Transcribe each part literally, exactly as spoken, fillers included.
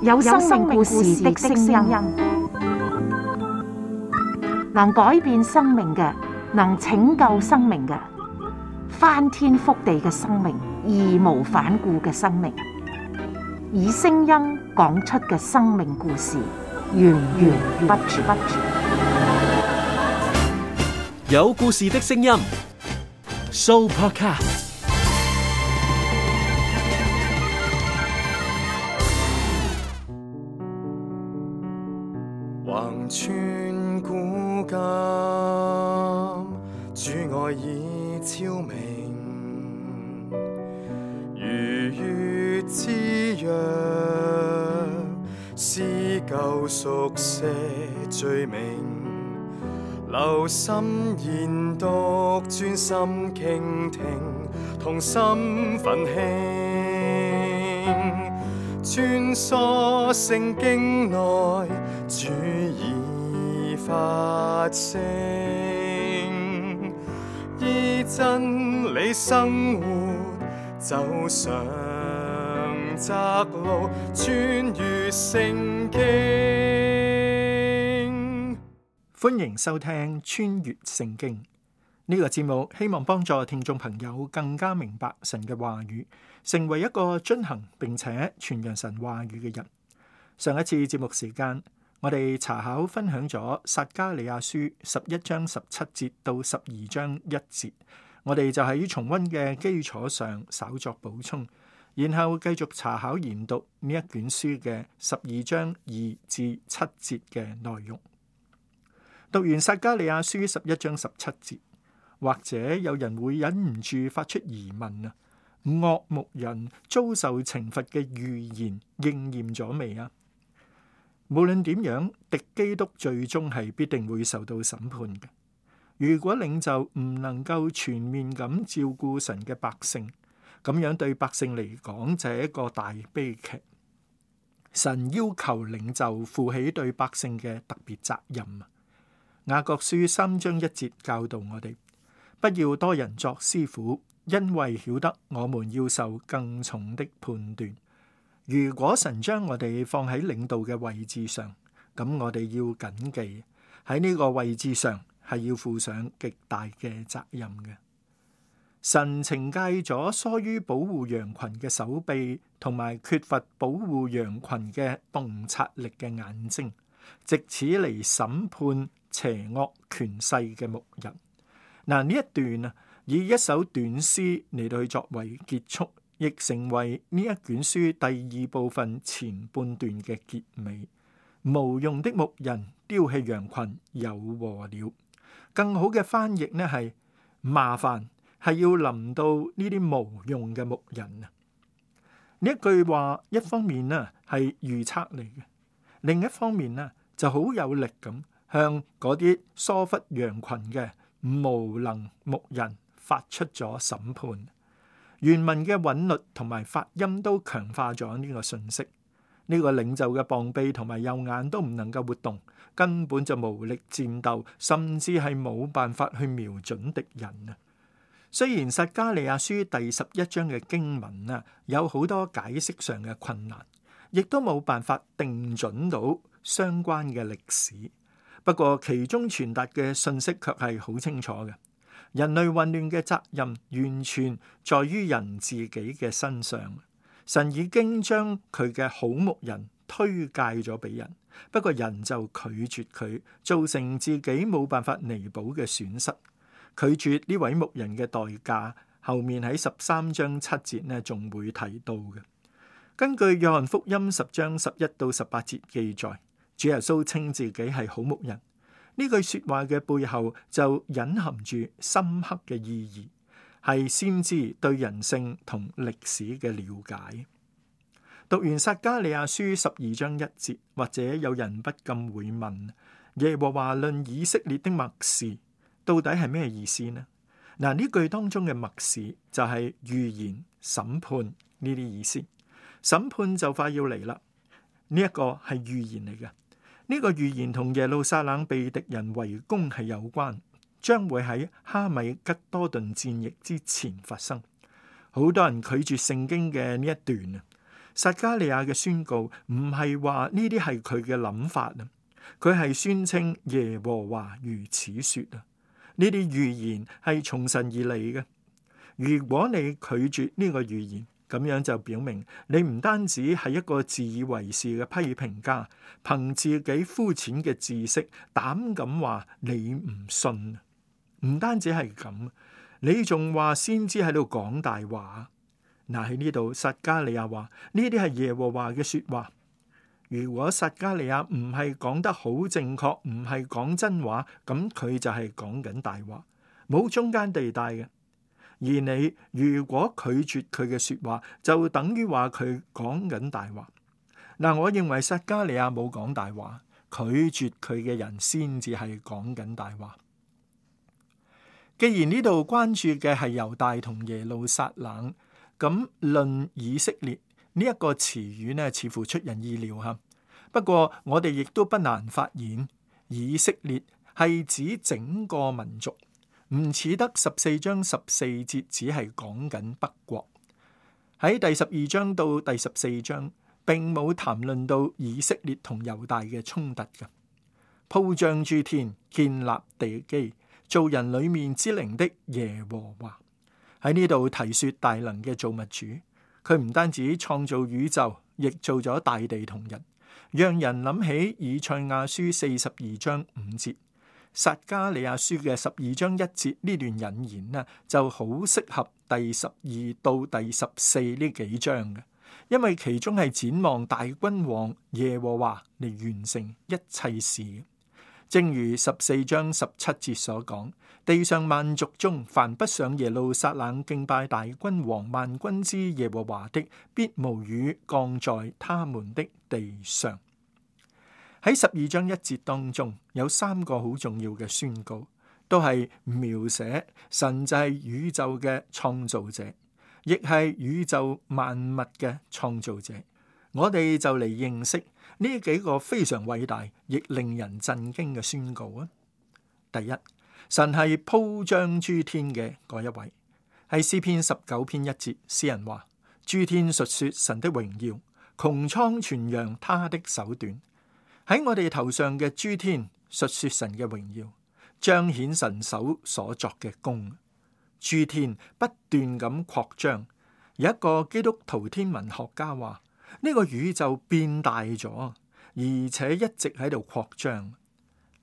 有生命故事的聲音，能改變生命嘅，能拯救生命嘅，翻天覆地嘅生命，義無反顧嘅生命，以聲音講出嘅生命故事，源源不絕。有故事的聲音 ，Sooopodcast。橫穿古今，主愛已超明，如月之約，撕舊熟寫罪名，留心研讀，專心傾聽，同心奮興，穿梭聖經內，主已發聲，依真理生活，走上窄路，穿越聖經。歡迎收聽穿越聖經呢個節目，希望幫助聽眾朋友更加明白神嘅話語，成為一個遵行並且傳揚神話語嘅人。上一次節目時間，我哋查考分享咗撒迦利亞書十一章十七節到十二章一節，我哋就喺重溫嘅基礎上稍作補充，然後繼續查考研讀呢一卷書嘅十二章二至七節嘅內容。讀完撒迦利亞書十一章十七節，或者有人會忍唔住發出疑問啊，惡牧人遭受懲罰嘅預言應驗咗未啊？無論點樣，敵基督最終係必定會受到審判嘅。如果領袖唔能夠全面咁照顧神嘅百姓，咁樣對百姓嚟講就係一個大悲劇。神要求領袖負起對百姓嘅特別責任。雅各書三章一節教導我哋，不要多人作師傅，因為曉得我們要受更重的判斷。如果神將我哋放喺領導嘅位置上，咁我哋要謹記喺呢個位置上係要負上極大嘅責任嘅。神懲戒咗疏於保護羊群嘅手臂，同埋缺乏保護羊群嘅洞察力嘅眼睛，藉此嚟審判邪惡權勢嘅牧人。嗱，呢一段啊，以一首短詩嚟到去作為結束，亦成為呢一卷書第二部分前半段嘅結尾。無用的牧人丟棄羊群，有禍了。更好嘅翻譯呢係麻煩係要臨到呢啲無用嘅牧人啊！呢一句話一方面呢係預測嚟嘅，另一方面呢就好有力咁向嗰啲疏忽羊群嘅無能牧人發出咗審判。原文嘅韻律同埋發音都強化咗呢個信息。呢個領袖嘅膀臂同埋右眼都唔能夠活動，根本就無力戰鬥，甚至係冇辦法去瞄準敵人啊！雖然撒迦利亞書第十一章嘅經文啊，有好多解釋上嘅困難，亦都冇辦法定準到相關嘅歷史。不過其中傳達嘅信息卻係好清楚嘅。人類混亂嘅責任完全在於人自己嘅身上。神已經將佢嘅好牧人推介咗俾人，不過人就拒絕佢，造成自己冇辦法彌補嘅損失。拒絕呢位牧人嘅代價，後面喺十三章七節呢仲會提到嘅。根據約翰福音十章十一到十八節記載，主耶穌稱自己係好牧人。呢句說話嘅背後就隱含住深刻嘅意義，係先知對人性同歷史嘅了解。讀完撒迦利亞書十二章一節，或者有人不禁會問：耶和華論以色列的默示到底係咩意思呢？嗱，呢句當中嘅默示就係預言、審判呢啲意思。審判就快要嚟啦，呢一個係預言嚟嘅。呢個預言同耶路撒冷被敵人圍攻係有關，將會喺哈米吉多頓戰役之前發生。好多人拒絕聖經嘅呢一段啊，撒迦利亞嘅宣告唔係話呢啲係佢嘅諗法啊，佢係宣稱耶和華如此說啊。呢啲預言係從神而嚟嘅。如果你拒絕呢個預言，咁樣就表明你唔單止係一個自以為是嘅批評家，憑自己膚淺嘅知識膽敢話你唔信。唔單止係咁，你仲話先知喺度講大話。嗱，喺呢度撒迦利亞話呢啲係耶和華嘅說話。如果撒迦利亞唔係講得好正確，唔係講真話，咁佢就係講緊大話，冇中間地帶嘅。而你如果拒絕佢嘅說話，就等於話佢講緊大話。嗱，我認為撒迦利亞冇講大話，拒絕佢嘅人先至係講緊大話。既然呢度關注嘅係猶大同耶路撒冷，咁論以色列呢一個詞語呢，似乎出人意料吓。不過我哋亦都不難發現，以色列係指整個民族。唔似得十四章十四節只係講緊北國，喺第十二章到第十四章並冇談論到以色列同猶大嘅衝突嘅。鋪張諸天，建立地基，造人裏面之靈的耶和華，喺呢度提說大能嘅造物主，佢唔單止創造宇宙，亦做咗大地同人，讓人諗起以賽亞書四十二章五節。撒迦利亞書嘅十二章一節呢段引言呢，就好適合第十二到第十四呢幾章嘅，因為其中係展望大君王耶和華嚟完成一切事。正如十四章十七節所講，地上萬族中凡不上耶路撒冷敬拜大君王萬軍之耶和華的，必無雨降在他們的地上。喺十二章一節當中，有三個好重要嘅宣告，都係描寫神就係宇宙嘅創造者，亦係宇宙萬物嘅創造者。我哋就嚟認識呢幾個非常偉大亦令人震驚嘅宣告啊！第一，神係鋪張諸天嘅嗰一位，喺詩篇十九篇一節，詩人話：諸天述說神的榮耀，穹蒼傳揚他的手段。喺我哋頭上嘅諸天述說神嘅榮耀，彰顯神手所作嘅功。諸天不斷咁擴張，有一個基督徒天文學家話：呢個宇宙變大咗，而且一直喺度擴張。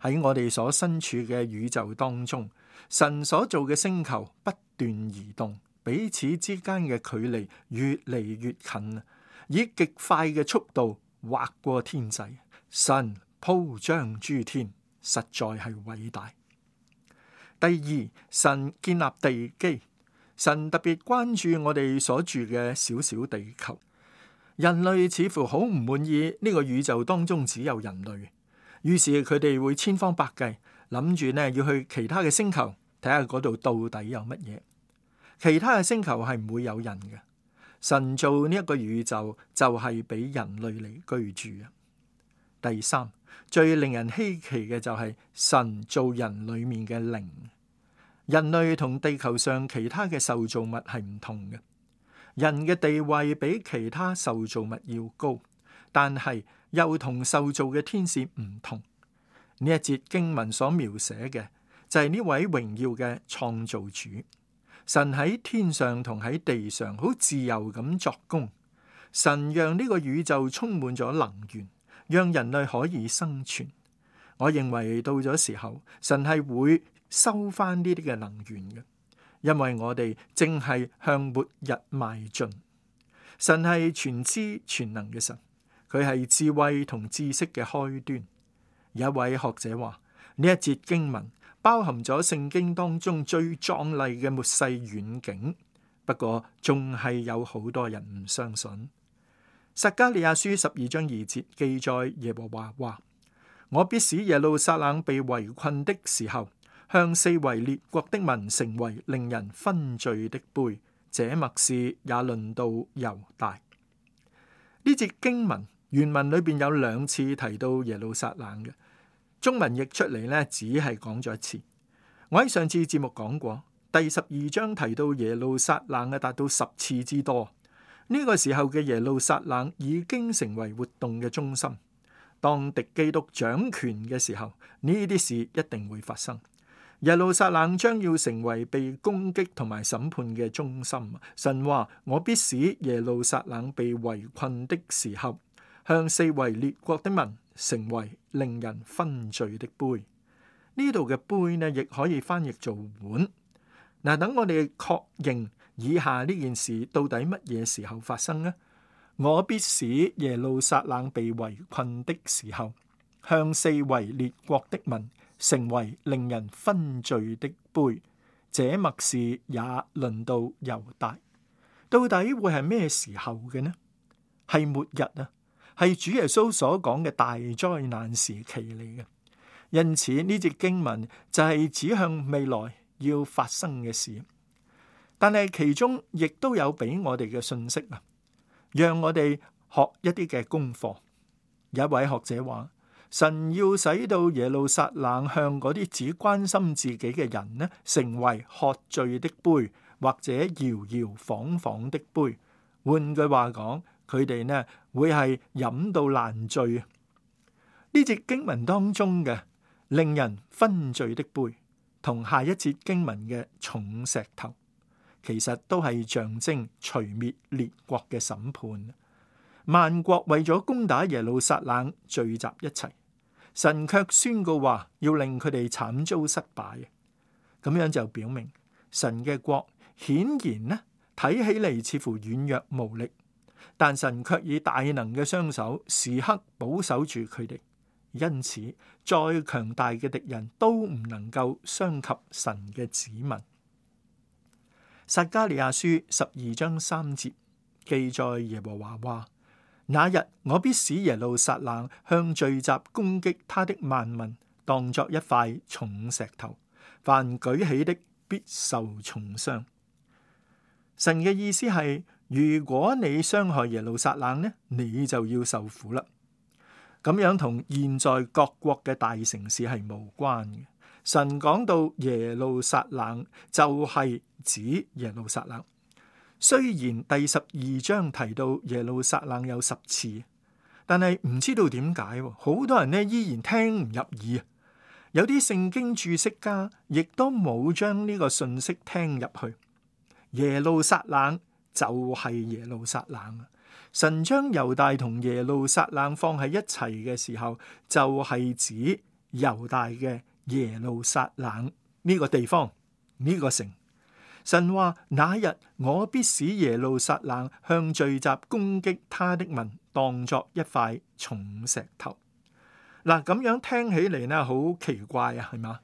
喺我哋所身處嘅宇宙當中，神所做嘅星球不斷移動，彼此之間嘅距離越嚟越近，以極快嘅速度劃過天際。神鋪張諸天，實在係偉大。第二，神建立地基，神特別關注我哋所住嘅小小地球。人類似乎好唔滿意呢個宇宙當中只有人類，於是佢哋會千方百計諗住呢要去其他嘅星球睇下嗰度到底有乜嘢。其他嘅星球係唔會有人嘅，神造呢一個宇宙就係俾人類嚟居住啊。第三，最令人稀奇嘅就係神造人裏面嘅靈。人類同地球上其他嘅受造物係唔同嘅，人嘅地位比其他受造物要高，但係又同受造嘅天使唔同。呢一節經文所描寫嘅就係呢位榮耀嘅創造主。神喺天上同喺地上好自由咁作工，神讓呢個宇宙充滿咗能源，讓人類可以生存。我認為到咗時候，神係會收翻呢啲嘅能源嘅，因為我哋正係向末日邁進。神係全知全能嘅神，佢係智慧同知識嘅開端。有一位學者話，呢一節經文包含咗聖經當中最壯麗嘅末世遠景，不過仲係有好多人唔相信。撒迦利亞書十二章二節記載耶和華話：我必使耶路撒冷被圍困的時候，向四圍列國的民成為令人分醉的杯。這默示也論到猶大。呢節經文原文裏邊有兩次提到耶路撒冷嘅，中文譯出嚟呢，只係講咗一次。我喺上次節目講過，第十二章提到耶路撒冷嘅達到十次之多。呢個時候嘅耶路撒冷已經成為活動嘅中心。當敵基督掌權嘅時候，呢啲事一定會發生。耶路撒冷將要成為被攻擊同埋審判嘅中心。神話：我必使耶路撒冷被圍困的時候，向四圍列國的民成為令人分罪的杯。呢度嘅杯呢，亦可以翻譯做碗。嗱，等我哋確認以下呢件事到底乜嘢時候發生呢？我必使耶路撒冷被圍困的時候，向四圍列國的民成為令人分罪的杯。這默示也論到猶大。到底會係咩時候嘅呢？係末日啊，係主耶穌所講嘅大災難時期嚟嘅。因此呢節經文就係指向未來要發生嘅事，但係其中亦都有俾我哋嘅信息啊，讓我哋學一啲嘅功課。有一位學者話，神要使到耶路撒冷向嗰啲只關心自己嘅人呢，成為喝醉的杯，或者搖搖晃晃的杯。換句話講，佢哋呢會係飲到爛醉。呢節經文當中嘅令人分罪的杯，同下一節經文嘅重石頭，其實都係象徵除滅列國嘅審判。萬國為咗攻打耶路撒冷聚集一齊，神卻宣告話要令佢哋慘遭失敗。咁樣就表明神嘅國顯然呢睇起嚟似乎軟弱無力，但神卻以大能嘅雙手時刻保守住佢哋。因此，再強大嘅敵人都唔能夠傷及神嘅子民。撒迦利亞書十二章三節記載耶和華話：那日我必使耶路撒冷向聚集攻擊他的萬民當作一塊重石頭，凡舉起的必受重傷。神嘅意思係，如果你傷害耶路撒冷呢，你就要受苦啦。咁樣同現在各國嘅大城市係無關嘅。神講到耶路撒冷就係指耶路撒冷。雖然第十二章提到耶路撒冷有十次，但係唔知道點解，好多人呢依然聽唔入耳。有啲聖經注釋家亦都冇將呢個信息聽入去。耶路撒冷就係耶路撒冷。神將猶大同耶路撒冷放喺一齊嘅時候，就係指猶大嘅耶路撒冷呢個地方，呢個城。神話那日我必使耶路撒冷向聚集攻擊他的民當作一塊重石頭。嗱，咁樣聽起嚟呢，好奇怪啊，係嘛？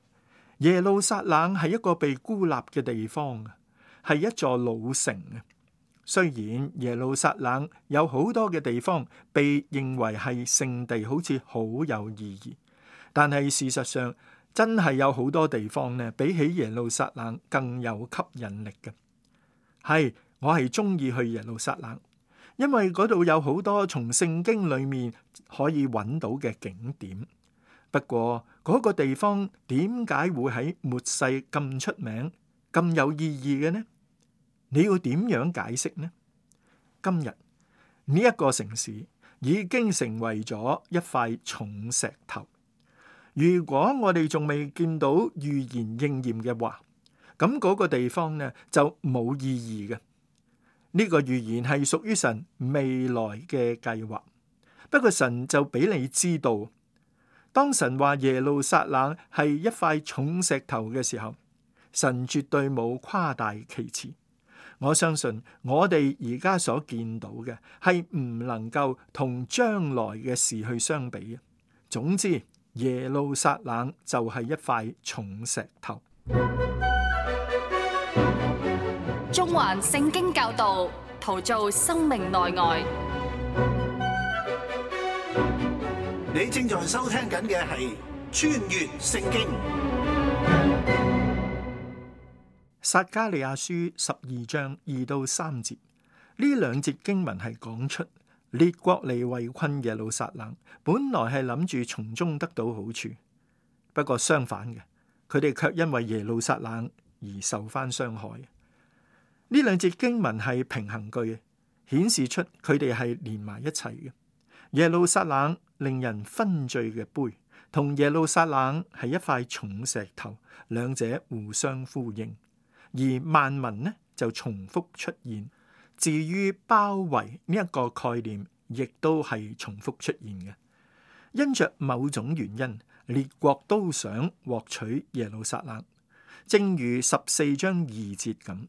耶路撒冷係一個被孤立嘅地方啊，係一座老城啊。雖然耶路撒冷有好多嘅地方被認為係聖地，好似好有意義，但係事實上真係有好多地方呢，比起耶路撒冷更有吸引力嘅。係，我係中意去耶路撒冷，因為嗰度有好多從聖經裏面可以揾到嘅景點。不過嗰個地方點解會喺末世咁出名、咁有意義嘅呢？你要點樣解釋呢？今日呢一個城市已經成為咗一塊重石頭。如果我哋仲未見到預言應驗嘅話，咁嗰個地方呢就冇意義嘅。呢個預言係屬於神未來嘅計劃。不過神就俾你知道，當神話耶路撒冷係一塊重石頭嘅時候，神絕對冇誇大其詞。我相信我哋而家所見到嘅係唔能夠同將來嘅事去相比嘅。總之，耶路撒冷就係一塊重石頭。中環聖經教導，陶造生命內外。你正在收聽緊嘅係穿越聖經。撒迦利亞書十二章二到三節，呢兩節經文係講出列國嚟圍困耶路撒冷，本來係諗住從中得到好處，不過相反嘅，佢哋卻因為耶路撒冷而受翻傷害。呢兩節經文係平衡句，顯示出佢哋係連埋一齊嘅。耶路撒冷令人昏醉嘅杯，同耶路撒冷係一塊重石頭，兩者互相呼應。而萬民呢就重複出現。至於包圍呢一個概念，亦都係重複出現嘅。因着某種原因，列國都想獲取耶路撒冷，正如十四章二節咁。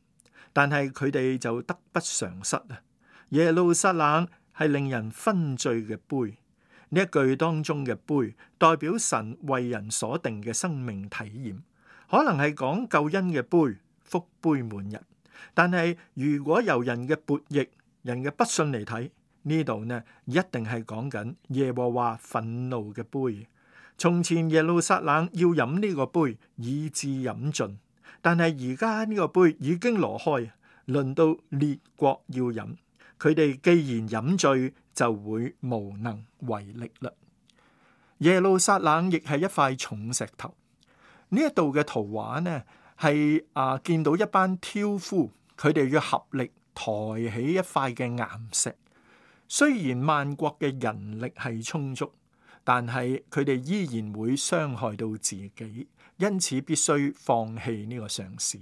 但係佢哋就得不償失啊！耶路撒冷係令人昏醉嘅杯，呢一句當中嘅杯代表神為人所定嘅生命體驗，可能係講救恩嘅杯，福杯滿溢。但係如果由人嘅悖逆、人嘅不信嚟睇，呢度呢一定係講緊耶和華憤怒嘅杯。從前耶路撒冷要飲呢個杯，以致飲盡，但係而家呢個杯已經挪開，輪到列國要飲。佢哋既然飲醉，就會無能為力啦。耶路撒冷亦係一塊重石頭。呢一度嘅圖畫呢，係啊見到一班挑夫，佢哋要合力抬起一塊嘅岩石。雖然萬國嘅人力係充足，但係佢哋依然會傷害到自己，因此必須放棄呢個嘗試。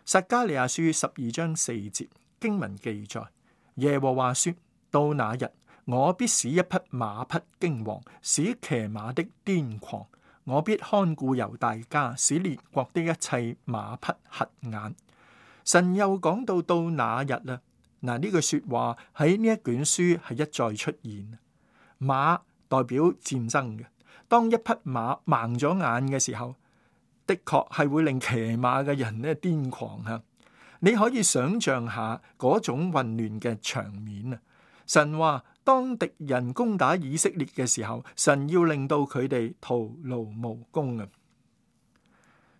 撒迦利亞書十二章四節經文記載，耶和華說：到那日，我必使一匹馬匹驚惶，使騎馬的癲狂。我必看顧猶大家，使列國的一切馬匹瞎眼。神又講到到那日啦，嗱，呢句說話喺呢一卷書係一再出現。馬代表戰爭嘅，當一匹馬盲咗眼嘅時候，的確係會令騎馬嘅人咧癲狂啊！你可以想象下嗰種混亂嘅場面啊！神話當敵人攻打以色列嘅時候，神要令到佢哋徒勞無功啊！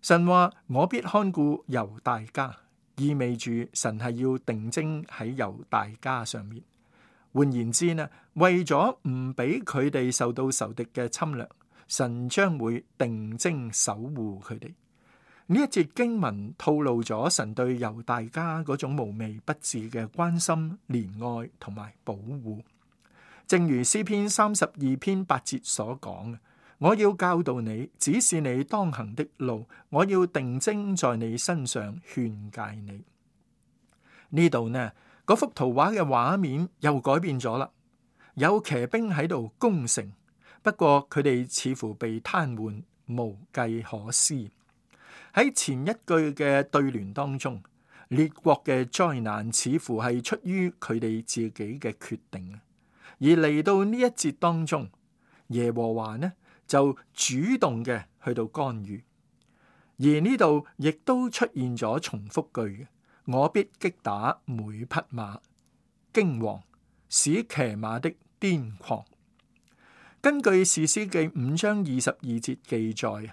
神話我必看顧猶大家，意味住神係要定睛喺猶大家上面。換言之呢，為咗唔俾佢哋受到仇敵嘅侵略，神將會定睛守護佢哋。呢一節經文透露咗神對猶大家嗰種無微不至嘅關心、憐愛同埋保護。正如詩篇三十二篇八節所講，我要教導你，指示你當行的路，我要定睛在你身上勸誡你。呢度呢，嗰幅圖畫嘅畫面又改變咗啦，有騎兵喺度攻城，不過佢哋似乎被癱瘓，無計可施。喺前一句嘅對聯當中，列國嘅災難似乎係出於佢哋自己嘅決定，而嚟到呢一節當中，耶和華呢就主動嘅去到干預，而呢度亦都出現咗重複句嘅，我必擊打每匹馬，驚惶，使騎馬的癲狂。根據士師記五章二十二節記載，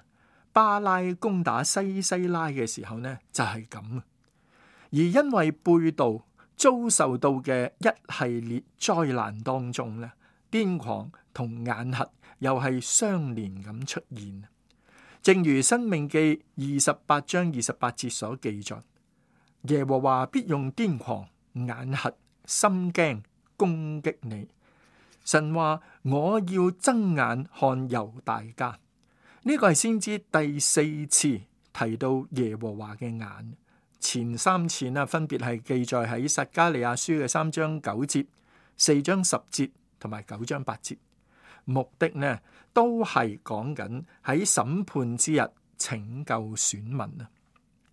巴拉攻打西西拉嘅時候呢，就係咁。而因為背道遭受到嘅一系列災難當中呢，癲狂同眼瞎又係相連咁出現。正如申命記二十八章二十八節所記載，耶和華必用癲狂、眼瞎、心驚攻擊你。神話我要睜眼看猶大家。呢個係先知第四次提到耶和華嘅眼，前三次啊分別係記載喺撒迦利亞書嘅三章九節、四章十節同埋九章八節，目的呢都係講緊喺審判之日拯救選民啊！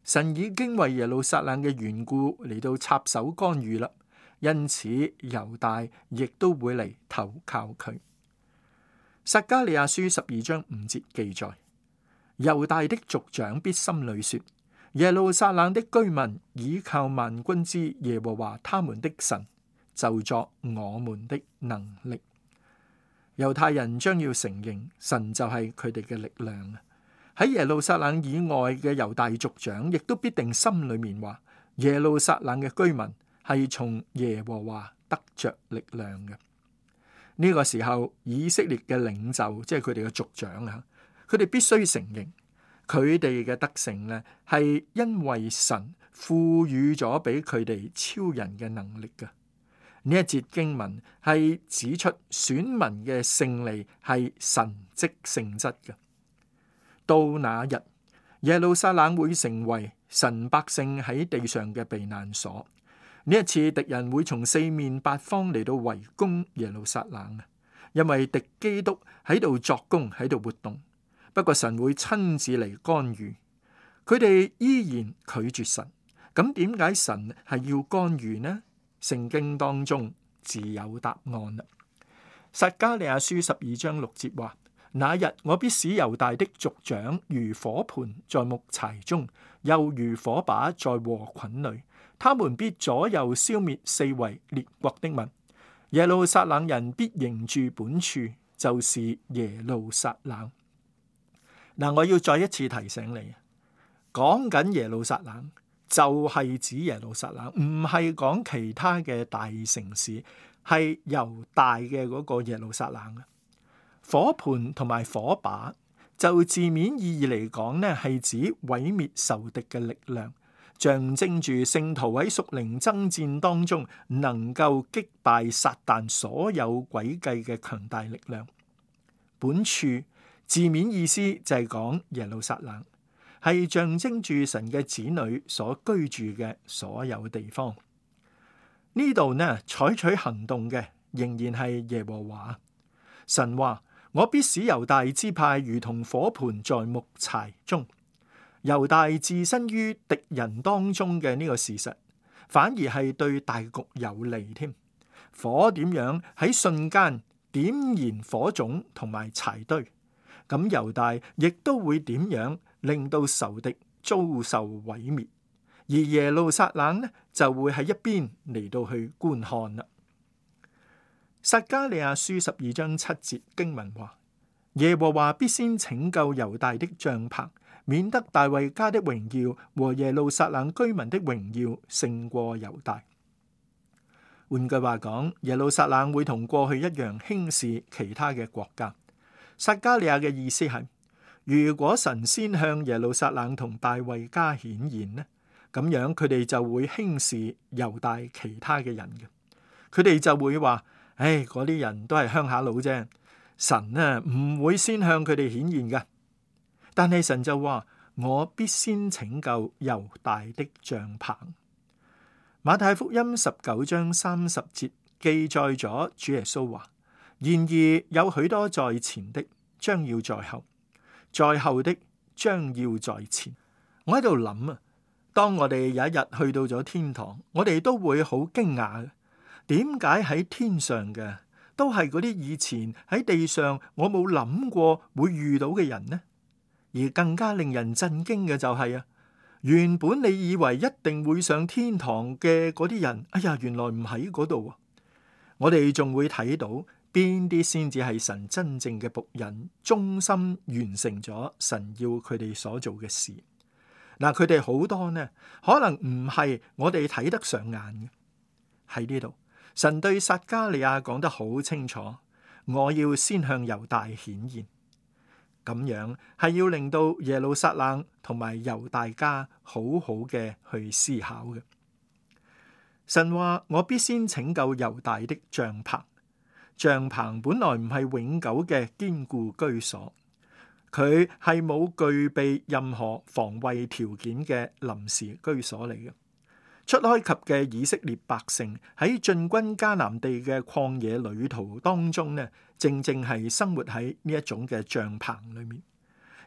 神已經為耶路撒冷嘅緣故嚟到插手干預啦，因此猶大亦都會嚟投靠佢。撒迦利亞書十二章五節記載，猶大的族長必心裏說，耶路撒冷的居民倚靠萬軍之耶和華他們的神，就作我們的能力。猶太人將要承認神就係佢哋嘅力量。喺耶路撒冷以外嘅猶大族長亦都必定心裏面話，耶路撒冷嘅居民係從耶和華得着力量嘅。呢個時候，以色列嘅領袖，即係佢哋嘅族長啊，佢哋必須承認，佢哋嘅得勝呢，係因為神賦予咗俾佢哋超人嘅能力嘅。呢一節經文係指出選民嘅勝利係神蹟性質嘅。到那日，耶路撒冷會成為神百姓喺地上嘅避難所。呢一次敵人會從四面八方嚟到圍攻耶路撒冷，因為敵基督喺度作工，喺度活動。不過神會親自嚟干預，佢哋依然拒絕神。咁點解神係要干預呢？聖經當中自有答案啦。撒迦利亞書十二章六節話：那日我必使猶大的族長如火盆在木柴中，又如火把在禾捆裏，他們必左右消滅四圍列國的民。耶路撒冷人必仍住本處，就是耶路撒冷。嗱，我要再一次提醒你，講緊耶路撒冷就係指耶路撒冷，唔係講其他嘅大城市，係猶大嘅嗰個耶路撒冷。火盆同埋火把就字面意義嚟講呢，係指毀滅仇敵嘅力量，象徵住聖徒喺屬靈爭戰當中能夠擊敗撒旦所有詭計嘅強大力量。本處字面意思就係講耶路撒冷，係象徵住神嘅子女所居住嘅所有地方。呢度呢，採取行動嘅仍然係耶和華。神話：我必使猶大支派如同火盆在木柴中。猶大置身於敵人當中嘅呢個事實，反而係對大局有利添。火點樣喺瞬間點燃火種同埋柴堆，咁猶大亦都會點樣令到仇敵遭受毀滅，而耶路撒冷呢就會喺一邊嚟到去觀看啦。撒迦利亞書十二章七節經文話：耶和華必先拯救猶大的帳棚，免得大衛家的榮耀和耶路撒冷居民的榮耀勝過猶大。換句話講，耶路撒冷會同過去一樣輕視其他嘅國家。撒迦利亞嘅意思係，如果神先向耶路撒冷同大衛家顯現呢，咁樣佢哋就會輕視猶大其他嘅人嘅。佢哋就會話：唉，嗰啲人都係鄉下佬啫，神呢唔會先向佢哋顯現嘅。但係神就話：我必先拯救猶大的帳棚。馬太福音十九章三十節記載咗主耶穌話：然而有許多在前的，將要在後；在後的，將要在前。我喺度諗啊，當我哋有一日去到咗天堂，我哋都會好驚訝嘅。點解喺天上嘅都係嗰啲以前喺地上我冇諗過會遇到嘅人呢？而更加令人震驚嘅就係啊，原本你以為一定會上天堂嘅嗰啲人，哎呀，原來唔喺嗰度。我哋仲會睇到邊啲先至係神真正嘅僕人，忠心完成咗神要佢哋所做嘅事。嗱，佢哋好多呢，可能唔係我哋睇得上眼嘅。喺呢度，神對撒迦利亞講得好清楚，我要先向猶大顯現。咁樣係要令到耶路撒冷同埋猶大家好好嘅去思考嘅。神話：我必先拯救猶大的帳棚。帳棚本來唔係永久嘅堅固居所，佢係冇具備任何防衛條件嘅臨時居所嚟嘅。出埃及嘅以色列百姓喺進軍迦南地嘅曠野旅途當中呢，正正係生活喺呢一種嘅帳棚裏面，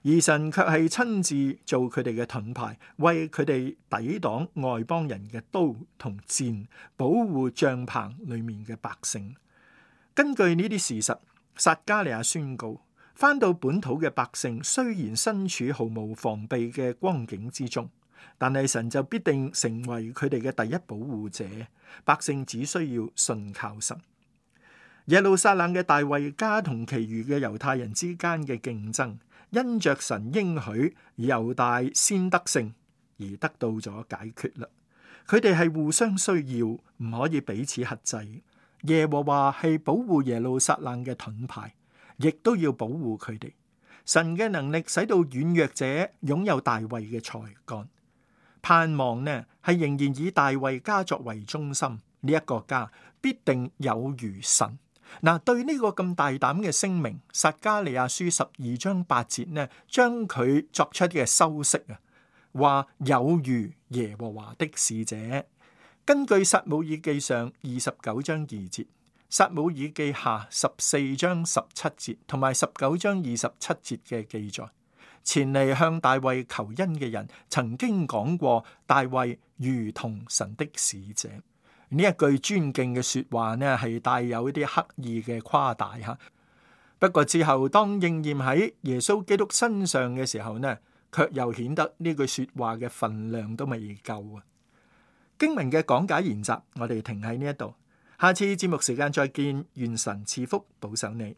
而神卻係親自做佢哋嘅盾牌，為佢哋抵擋外邦人嘅刀同箭，保護帳棚裏面嘅百姓。根據呢啲事實，撒迦利亞宣告，返到本土嘅百姓雖然身處毫無防備嘅光景之中，但係神就必定成為佢哋嘅第一保護者，百姓只需要信靠神。耶路撒冷嘅大衛家同其餘嘅猶太人之間嘅競爭，因着神應許猶大先得勝而得到咗解決啦。佢哋係互相需要，唔可以彼此克制。耶和華係保護耶路撒冷嘅盾牌，亦都要保護佢哋。神嘅能力使到軟弱者擁有大衛嘅才幹。盼望呢係仍然以大衛家作為中心，呢一個家必定有如神。嗱，對呢個咁大膽嘅聲明，撒迦利亞書十二章八節呢，將佢作出嘅修飾啊，話有如耶和華的使者。根據撒母耳記上二十九章二節、撒母耳記下十四章十七節同埋十九章二十七節嘅記載，前嚟向大衛求恩嘅人曾經講過，大衛如同神的使者。呢一句尊敬嘅說話呢，係帶有一啲刻意嘅誇大吓。不過之後當應驗喺耶穌基督身上嘅時候呢，卻又顯得呢句說話嘅分量都未夠啊。經文嘅講解研習，我哋停喺呢一度，下次節目時間再見，願神賜福保守你。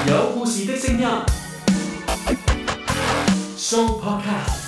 有故事的聲音，Show Podcast。